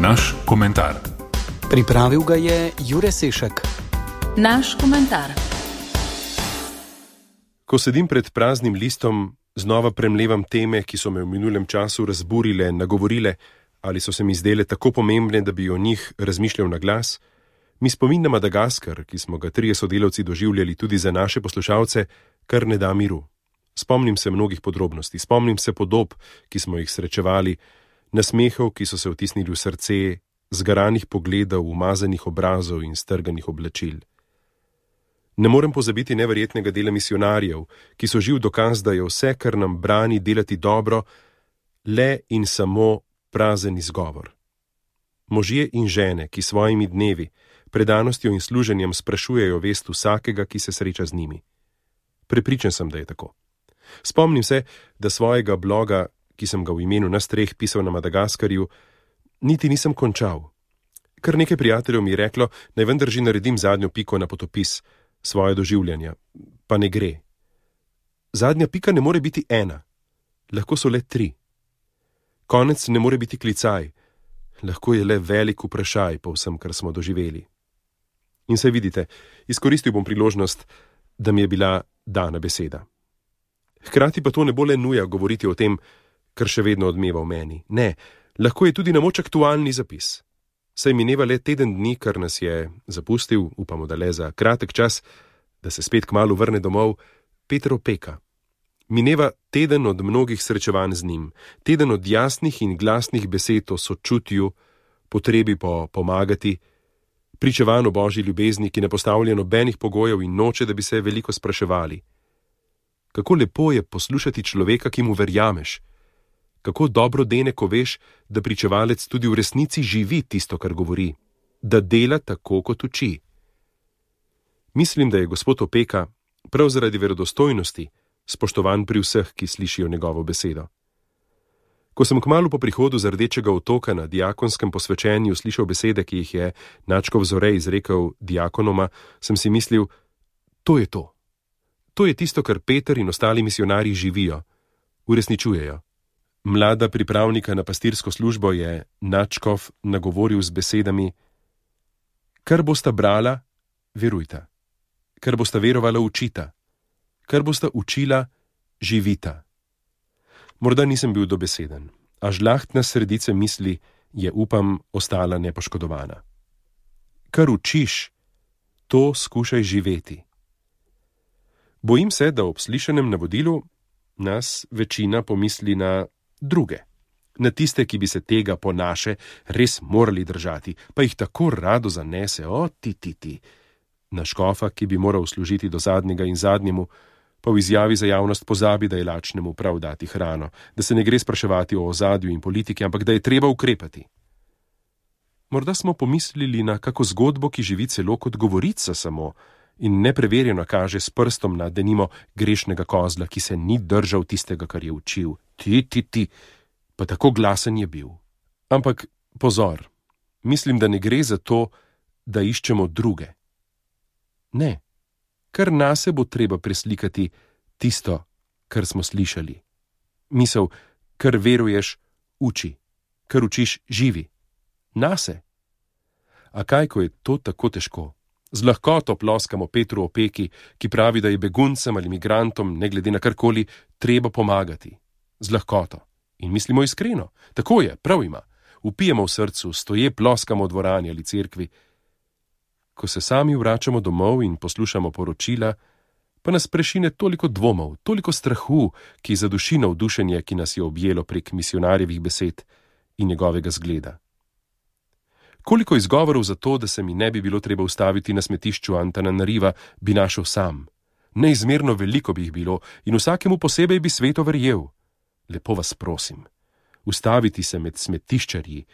Naš komentar. Pripravil ga je Jure Sešek. Naš komentar. Ko sedim pred praznim listom, znova premlevam teme, ki so me v minulem času razburile, nagovorile ali so se mi zdele tako pomembne, da bi o njih razmišljal na glas, mi spomin na Madagaskar, ki smo ga 3 sodelavci doživljali tudi za naše poslušalce, kar ne da miru. Spomnim se mnogih podrobnosti, spomnim se podob, ki smo jih srečevali, nasmehov, ki so se vtisnili v srce, zgaranih pogledov, umazanih obrazov in strganih oblačil. Ne morem pozabiti neverjetnega dela misionarjev, ki so živ dokaz, da je vse, kar nam brani delati dobro, le in samo prazen izgovor. Možje in žene, ki svojimi dnevi, predanostjo in služenjem sprašujejo vest vsakega, ki se sreča z njimi. Prepričan sem, da je tako. Spomnim se, da svojega bloga, ki sem ga v imenu nas 3 pisal na Madagaskarju, niti nisem končal. Kar nekaj prijateljev mi je reklo, naj vendar že naredim zadnjo piko na potopis svoje doživljanja, pa ne gre. Zadnja pika ne more biti 1, lahko so le 3. Konec ne more biti klicaj, lahko je le velik vprašaj po vsem, kar smo doživeli. In se vidite, izkoristil bom priložnost, da mi je bila dana beseda. Hkrati pa to ne bo le nuja govoriti o tem, kar še vedno odmeva v meni. Ne, lahko je tudi na moč aktualni zapis. Saj mineva le teden dni, kar nas je zapustil, upamo, da le za kratek čas, da se spet kmalu vrne domov, Peter Opeka. Mineva teden od mnogih srečevanj z njim, teden od jasnih in glasnih besed o sočutju, potrebi po pomagati, pričevanj o Božji ljubezni, ki ne postavlja nobenih pogojev in noče, da bi se veliko spraševali. Kako lepo je poslušati človeka, ki mu verjameš. Kako dobro dene, ko veš, da pričevalec tudi v resnici živi tisto, kar govori, da dela tako, kot uči. Mislim, da je gospod Opeka, prav zaradi verodostojnosti, spoštovan pri vseh, ki slišijo njegovo besedo. Ko sem kmalu po prihodu z Rdečega otoka na diakonskem posvečenju slišal besede, ki jih je Načkov Zorej izrekel diakonoma, sem si mislil, to je to. To je tisto, kar Peter in ostali misionarji živijo, uresničujejo. Mlada pripravnika na pastirsko službo je Načkov nagovoril z besedami: kar bosta brala, verujta. Kar bosta verovala, učita. Kar bosta učila, živita. Morda nisem bil dobeseden, a žlahtna sredice misli je, upam, ostala nepoškodovana. Kar učiš, to skušaj živeti. Bojim se, da ob slišanem navodilu nas večina pomisli na druge, na tiste, ki bi se tega po naše res morali držati, pa jih tako rado zanese, ti. Na škofa, ki bi moral služiti do zadnjega in zadnjemu, pa v izjavi za javnost pozabi, da je lačnemu prav dati hrano, da se ne gre spraševati o ozadju in politiki, ampak da je treba ukrepati. Morda smo pomislili na kako zgodbo, ki živi celo kot govorica samo in nepreverjeno kaže s prstom na denimo grešnega kozla, ki se ni držal tistega, kar je učil. Ti, pa tako glasen je bil. Ampak pozor, mislim, da ne gre za to, da iščemo druge. Ne, kar nase bo treba preslikati tisto, kar smo slišali. Misel, kar veruješ, uči, kar učiš, živi. Nase. A kaj, ko je to tako težko? Z lahkoto ploskamo Petru Opeki, ki pravi, da je beguncem ali migrantom, ne glede na karkoli, treba pomagati. Z lahkoto. In mislimo iskreno. Tako je, prav ima. Vpijemo v srcu, stoje ploskamo v dvorani ali cerkvi. Ko se sami vračamo domov in poslušamo poročila, pa nas prešine toliko dvomov, toliko strahu, ki zaduši navdušenje, ki nas je objelo prek misionarjevih besed in njegovega zgleda. Koliko izgovorov za to, da se mi ne bi bilo treba ustaviti na smetišču Antananariva, bi našel sam. Neizmerno veliko bi jih bilo in vsakemu posebej bi sveto verjel. Lepo vas prosim, ustaviti se med smetiščarji,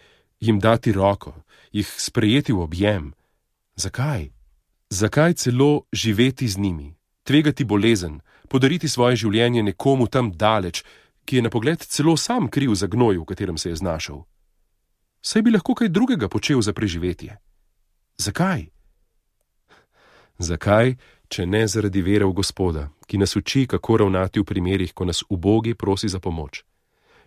jim dati roko, jih sprejeti v objem. Zakaj? Zakaj celo živeti z njimi, tvegati bolezen, podariti svoje življenje nekomu tam daleč, ki je na pogled celo sam kriv za gnoj, v katerem se je znašel? Saj bi lahko kaj drugega počel za preživetje. Zakaj? Zakaj, če ne zaradi vere v Gospoda, ki nas uči, kako ravnati v primerih, ko nas ubogi prosi za pomoč?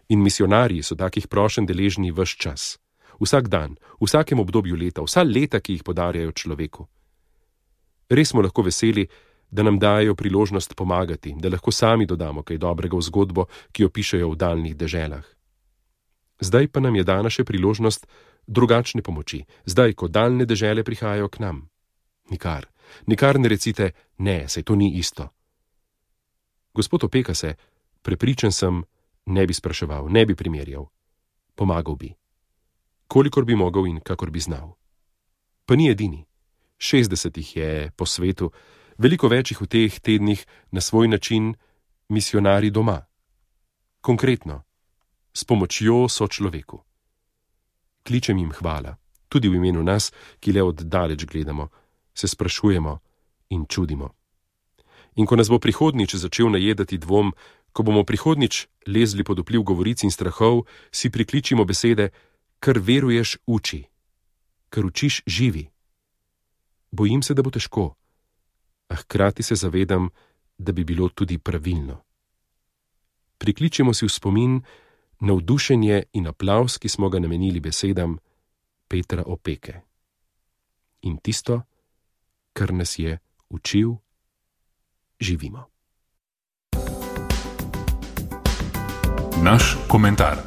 In misionarji so takih prošenj deležni ves čas. vsak dan, v vsakem obdobju leta, vsa leta, ki jih podarjajo človeku. Res smo lahko veseli, da nam dajo priložnost pomagati, da lahko sami dodamo kaj dobrega v zgodbo, ki jo pišejo v daljnih deželah. Zdaj pa nam je dana še priložnost drugačne pomoči, zdaj, ko daljne dežele prihajajo k nam. Nikar ne recite, ne, saj to ni isto. Gospod opeka se, prepričan sem, ne bi spraševal, ne bi primerjal. Pomagal bi. Kolikor bi mogel in kakor bi znal. Pa ni edini. 60 jih je po svetu, veliko večjih v teh tednih na svoj način misionari doma. Konkretno, s pomočjo sočloveku. Kličem jim hvala, tudi v imenu nas, ki le od daleč gledamo, se sprašujemo in čudimo. In ko nas bo prihodnič začel najedati dvom, ko bomo prihodnič lezli pod vpliv govoric in strahov, si prikličimo besede, kar veruješ, uči, kar učiš, živi. Bojim se, da bo težko, a hkrati se zavedam, da bi bilo tudi pravilno. Prikličimo si v spomin navdušenje in aplavz, ki smo ga namenili besedam Petra Opeke. In tisto, kar nas je učil, živimo. Naš komentar.